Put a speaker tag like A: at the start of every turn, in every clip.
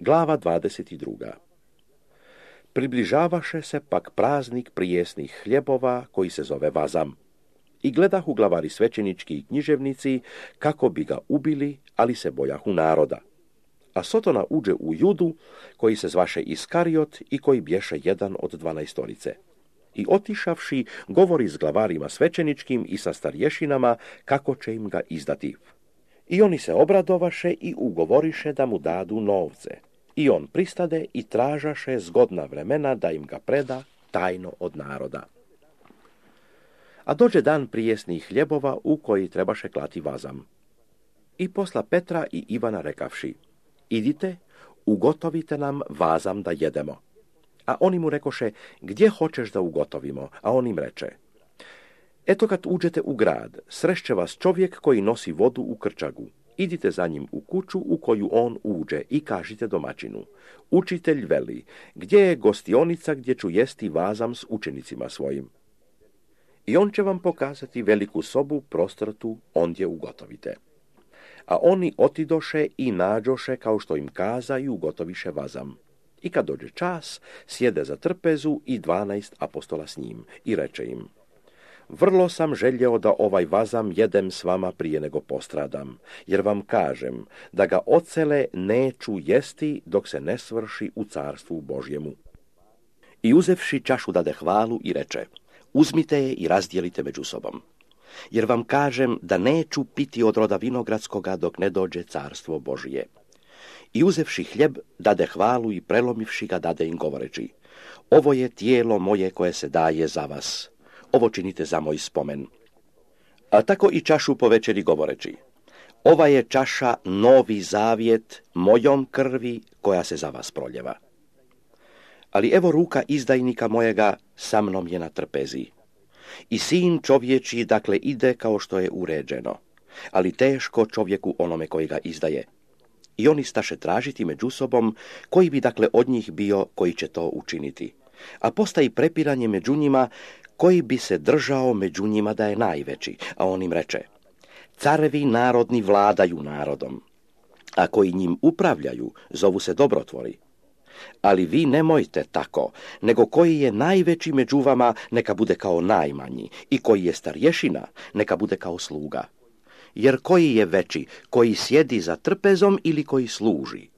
A: Glava 22. Približavaše se pak praznik prijesnih hljebova, koji se zove vazam. I gledahu glavari svećenički i književnici, kako bi ga ubili, ali se bojahu naroda. A Sotona uđe u Judu, koji se zvaše Iskariot i koji bješe jedan od 12. I otišavši, govori s glavarima svećeničkim i sa starješinama, kako će im ga izdati. I oni se obradovaše i ugovoriše da mu dadu novce. I on pristade i tražaše zgodna vremena da im ga preda tajno od naroda. A dođe dan prijesnih hljebova u koji trebaše klati vazam. I posla Petra i Ivana rekavši: idite, ugotovite nam vazam da jedemo. A oni mu rekoše: gdje hoćeš da ugotovimo? A on im reče: eto, kad uđete u grad, srešće vas čovjek koji nosi vodu u krčagu. Idite za njim u kuću u koju on uđe i kažite domaćinu: učitelj veli, gdje je gostionica gdje ću jesti vazam s učenicima svojim? I on će vam pokazati veliku sobu prostrtu, ondje ugotovite. A oni otidoše i nađoše kao što im kaza i ugotoviše vazam. I kad dođe čas, sjede za trpezu i 12 apostola s njim i reče im: vrlo sam željeo da ovaj vazam jedem s vama prije nego postradam, jer vam kažem da ga ocele neću jesti dok se ne svrši u carstvu Božjemu. I uzevši čašu dade hvalu i reče: uzmite je i razdijelite među sobom. Jer vam kažem da neću piti od roda vinogradskoga dok ne dođe carstvo Božije. I uzevši hljeb, dade hvalu i prelomivši ga, dade im govoreći: ovo je tijelo moje koje se daje za vas. Ovo činite za moj spomen. A tako i čašu po večeri govoreći: ova je čaša novi zavjet mojom krvi koja se za vas proljeva. Ali evo ruka izdajnika mojega sa mnom je na trpezi. I sin čovječiji dakle ide kao što je uređeno, ali teško čovjeku onome koji ga izdaje. I oni staše tražiti među sobom koji bi dakle od njih bio koji će to učiniti. A postaji prepiranje među njima koji bi se držao među njima da je najveći. A on im reče: carevi narodni vladaju narodom, a koji njim upravljaju zovu se dobrotvori. Ali vi nemojte tako, nego koji je najveći među vama neka bude kao najmanji, i koji je starješina neka bude kao sluga. Jer koji je veći, koji sjedi za trpezom ili koji služi?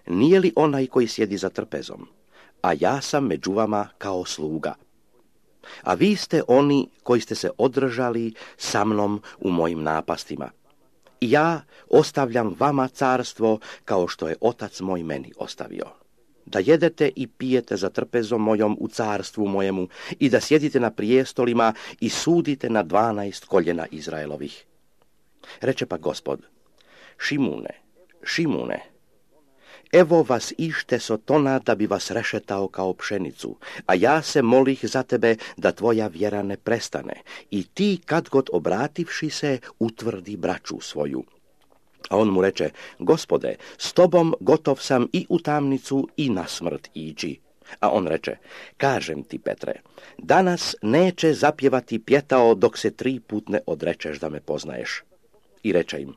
A: Nije li onaj koji sjedi za trpezom? A ja sam među vama kao sluga. A vi ste oni koji ste se održali sa mnom u mojim napastima. I ja ostavljam vama carstvo kao što je otac moj meni ostavio. Da jedete i pijete za trpezom mojom u carstvu mojemu i da sjedite na prijestolima i sudite na 12 koljena Izraelovih. Reče pa Gospod: Šimune, Šimune, evo vas ište Sotona da bi vas rešetao kao pšenicu, a ja se molih za tebe da tvoja vjera ne prestane i ti kad god obrativši se utvrdi braću svoju. A on mu reče: Gospode, s tobom gotov sam i u tamnicu i na smrt ići. A on reče: kažem ti, Petre, danas neće zapjevati pjetao dok se 3 put ne odrečeš da me poznaješ. I reče im: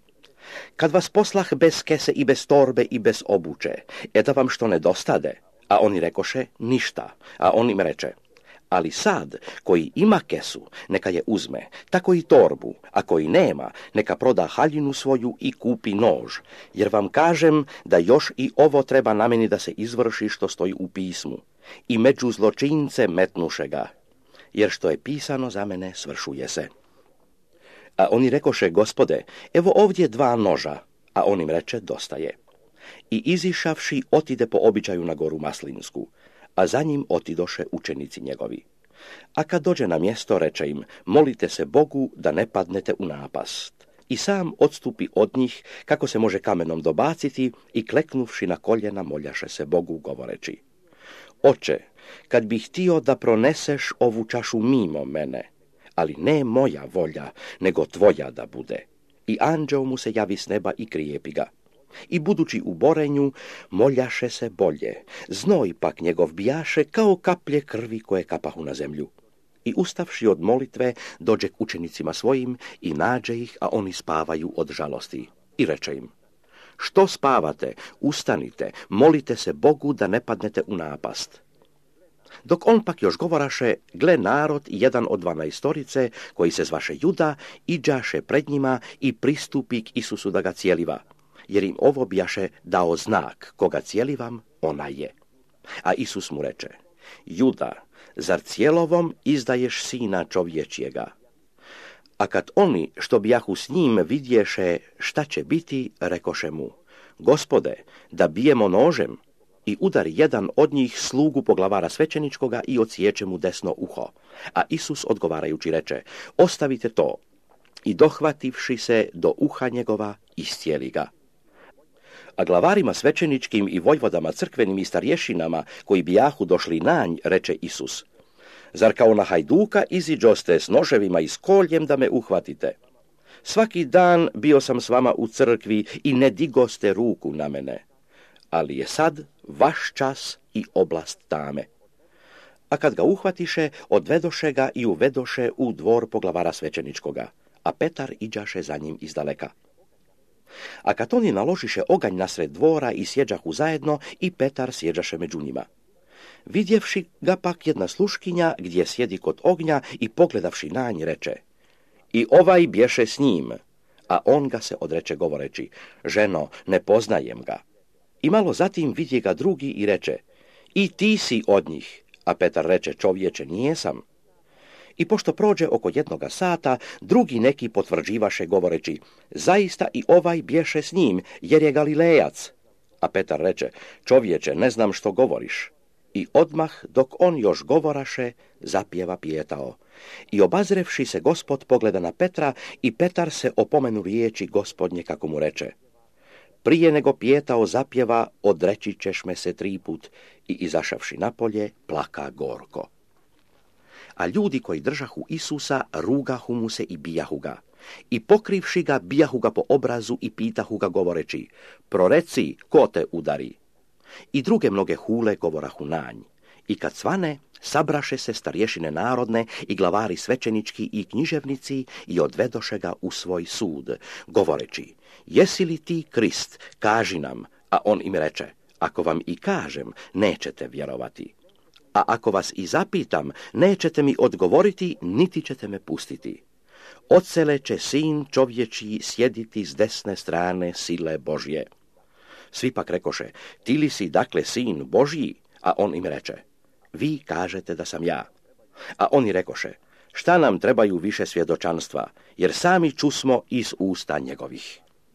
A: kad vas poslah bez kese i bez torbe i bez obuće, da vam što nedostade? A oni rekoše: ništa. A on im reče: ali sad, koji ima kesu, neka je uzme, tako i torbu, a koji nema, neka proda haljinu svoju i kupi nož, jer vam kažem da još i ovo treba na meni da se izvrši što stoji u pismu. I među zločince metnuše ga, jer što je pisano za mene svršuje se. A oni rekoše: Gospode, evo ovdje 2 noža. A on im reče: dosta je. I izišavši otide po običaju na goru Maslinsku, a za njim otidoše učenici njegovi. A kad dođe na mjesto, reče im: molite se Bogu da ne padnete u napast. I sam odstupi od njih, kako se može kamenom dobaciti, i kleknuvši na koljena moljaše se Bogu, govoreći: Oče, kad bih htio da proneseš ovu čašu mimo mene, ali ne moja volja, nego tvoja da bude. I anđeo mu se javi s neba i krijepi ga. I budući u borenju, moljaše se bolje. Znoj pak njegov bijaše kao kaplje krvi koje kapahu na zemlju. I ustavši od molitve, dođe k učenicima svojim i nađe ih, a oni spavaju od žalosti. I reče im: Što spavate? Ustanite, molite se Bogu da ne padnete u napast. Dok on pak još govoraše, gle narod, jedan od 12, koji se zvaše Juda, iđaše pred njima i pristupi k Isusu da ga cijeliva, jer im ovo bijaše dao znak, koga cijelivam, ona je. A Isus mu reče, Juda, zar cijelovom izdaješ sina čovječjega? A kad oni, što bijahu s njim, vidješe šta će biti, rekoše mu, Gospode, da bijemo nožem. I udari jedan od njih slugu poglavara svećeničkoga i odsječe mu desno uho. A Isus odgovarajući reče, ostavite to. I dohvativši se do uha njegova, iscijeli ga. A glavarima svećeničkim i vojvodama crkvenim i starješinama, koji bijahu došli na nj, reče Isus, zar kao na hajduka iziđoste s noževima i s koljem da me uhvatite? Svaki dan bio sam s vama u crkvi i ne digoste ruku na mene. Ali je sad vaš čas i oblast tame. A kad ga uhvatiše, odvedoše ga i uvedoše u dvor poglavara svećeničkoga, a Petar iđaše za njim izdaleka. A kad oni naložiše oganj nasred dvora i sjeđahu zajedno, i Petar sjeđaše među njima. Vidjevši ga pak jedna sluškinja gdje sjedi kod ognja i pogledavši na nj reče, i ovaj bješe s njim, a on ga se odreče govoreći, ženo, ne poznajem ga. I malo zatim vidje ga drugi i reče, i ti si od njih, a Petar reče, čovječe, nijesam. I pošto prođe oko 1 sata, drugi neki potvrđivaše govoreći, zaista i ovaj bješe s njim, jer je Galilejac. A Petar reče, čovječe, ne znam što govoriš. I odmah, dok on još govoraše, zapjeva pijetao. I obazrevši se Gospod pogleda na Petra, i Petar se opomenu riječi Gospodnje kako mu reče, prije nego pijetao zapjeva, odreći ćeš me se 3 put, i izašavši napolje, plaka gorko. A ljudi koji držahu Isusa, rugahu mu se i bijahu ga. I pokrivši ga, bijahu ga po obrazu i pitahu ga govoreći, proreci, ko te udari? I druge mnoge hule govorahu na nj. I kad svane, sabraše se starješine narodne i glavari svećenički i književnici i odvedoše ga u svoj sud, govoreći, jesi li ti Krist, kaži nam, a on im reče, ako vam i kažem, nećete vjerovati. A ako vas i zapitam, nećete mi odgovoriti, niti ćete me pustiti. Odsele će sin čovječji sjediti s desne strane sile Božje. Svi pak rekoše, ti li si dakle sin Božji? A on im reče, vi kažete da sam ja. A oni rekoše, šta nam trebaju više svjedočanstva, jer sami čusmo iz usta njegovih.